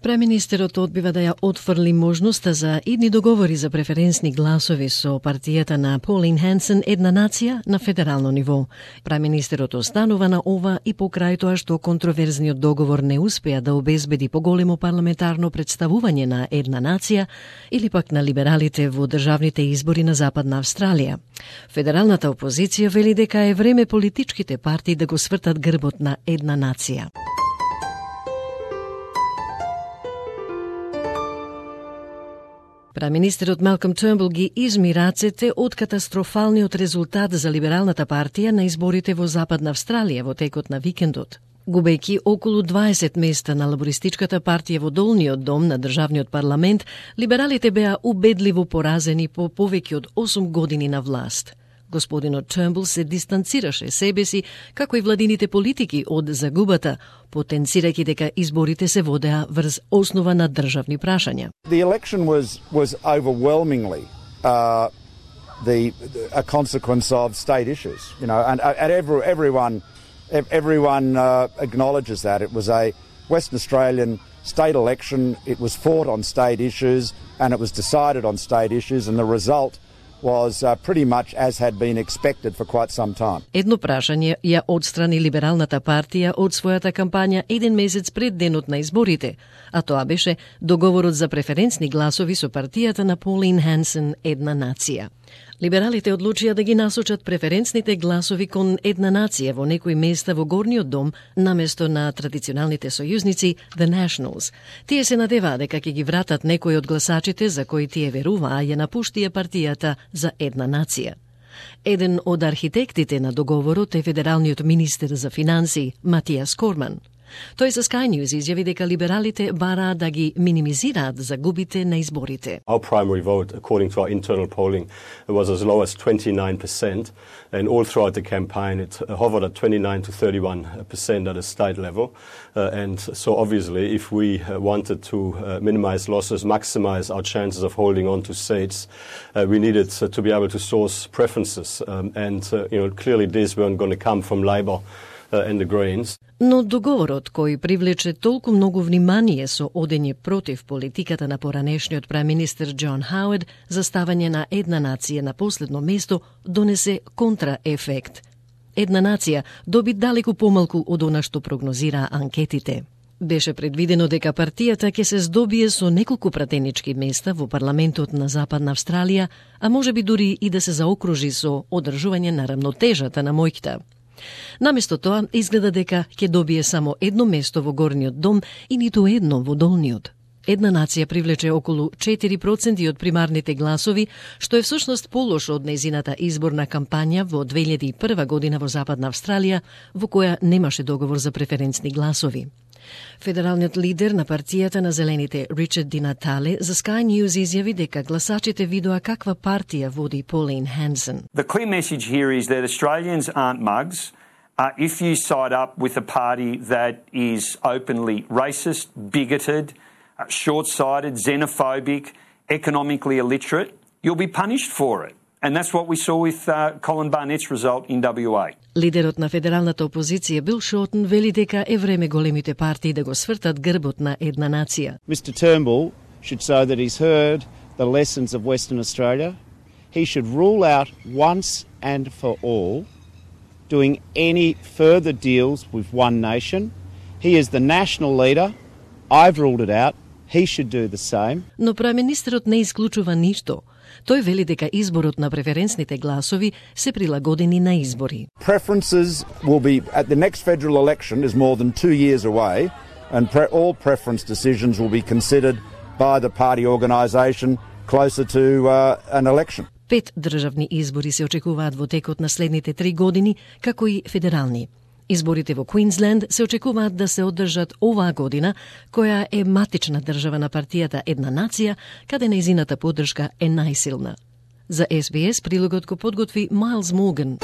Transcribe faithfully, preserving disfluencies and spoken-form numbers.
Преминистерот одбива да ја отфрли можноста за идни договори за преференсни гласови со партијата на Pauline Hanson Една нација на федерално ниво. Преминистерот останува на ова и покрај тоа што контроверзниот договор не успеа да обезбеди поголемо парламентарно представување на Една нација или пак на либералите во државните избори на Западна Австралија. Федералната опозиција вели дека е време политичките партии да го свртат грбот на Една нација. Преминистерот Малком Тернбул ги изми рацете од катастрофалниот резултат за либералната партија на изборите во Западна Австралија во текот на викендот. Губејќи околу дваесет места на лабористичката партија во долниот дом на државниот парламент, либералите беа убедливо поразени по повеќе од осум години на власт. Господинот Тернбул се дистанцираше себе си, како и владините политики од загубата, потенцирајќи дека изборите се водеа врз основа на државни прашања. The election was was overwhelmingly uh, the a consequence of state issues, you know, and, and every, everyone everyone uh, acknowledges that it was a Western Australian state election. It was fought on state issues, and it was decided on state issues, and the result was uh, pretty much as had been expected for quite some time. Едно прашање ја отстрани либералната партија од својата кампања еден месец пред денот на изборите, а тоа беше договорот за преференсни гласови со партијата на Pauline Hanson Една нација. Либералите одлучија да ги насочат преференсните гласови кон Една нација во некои места во горниот дом наместо на традиционалните сојузници The Nationals. Тие се надеваа дека ќе ги вратат некои од гласачите за кои тие веруваа ја напуштија партијата за Една нација. Еден од архитектите на договорот е федералниот министер за финансии Матиас Корман. Тој за Sky News изјави дека либералите бараа да ги минимизираат загубите на изборите. Our primary vote, according to our internal polling, was as low as twenty-nine percent, and all throughout the campaign it hovered at twenty-nine to thirty-one percent at a state level. Uh, and so obviously if we uh, wanted to uh, minimize losses, maximize our chances of holding on to seats, uh, we needed uh, to be able to source preferences. Um, and uh, you know, clearly these weren't going to come from Labor uh, and the Greens. Но договорот кој привлече толку многу внимание со одење против политиката на поранешниот преминистер Џон Хауард за ставање на Една нација на последно место донесе контраефект. Една нација доби далеку помалку од она што прогнозираа анкетите. Беше предвидено дека партијата ќе се здобие со неколку пратенички места во парламентот на Западна Австралија, а можеби дури и да се заокружи со одржување на рамнотежата на моќта. Наместо тоа, изгледа дека ќе добие само едно место во горниот дом и ниту едно во долниот. Една нација привлече околу четири проценти од примарните гласови, што е всушност полош од нејзината изборна кампања во две илјади и прва година во Западна Австралија, во која немаше договор за преференсни гласови. Федералниот лидер на партијата на Зелените Ричард Ди Натале за Sky News изјави дека гласачите видоа каква партија води Pauline Hanson. The clear message here is that Australians aren't mugs. Uh, if you side up with a party that is openly racist, bigoted, uh, short-sighted, xenophobic, economically illiterate, you'll be punished for it. And that's what we saw with uh, Colin Barnett's result in W A. Лидерот на федералната опозиција Бил Шортон вели дека е време големите партии да го свртат грбот на Една нација. Mister Turnbull should show that he's heard the lessons of Western Australia. He should rule out once and for all doing any further deals with one nation. He is the national leader. I've ruled it out. He should do the same. Но преминистерот не исклучува ништо. Тој вели дека изборот на преференсните гласови се прилагодени на избори. Preferences will be at the next federal election is more than two years away, and pre all preference decisions will be considered by the party organisation closer to uh, an election. Пет државни избори се очекуваат во текот на следните три години, како и федерални. Изборите во Квинсленд се очекуваат да се одржат оваа година, која е матична држава на партијата Една нација, каде нејзината поддршка е најсилна. За Ес Би Ес прилогот го подготви Майлз Морган.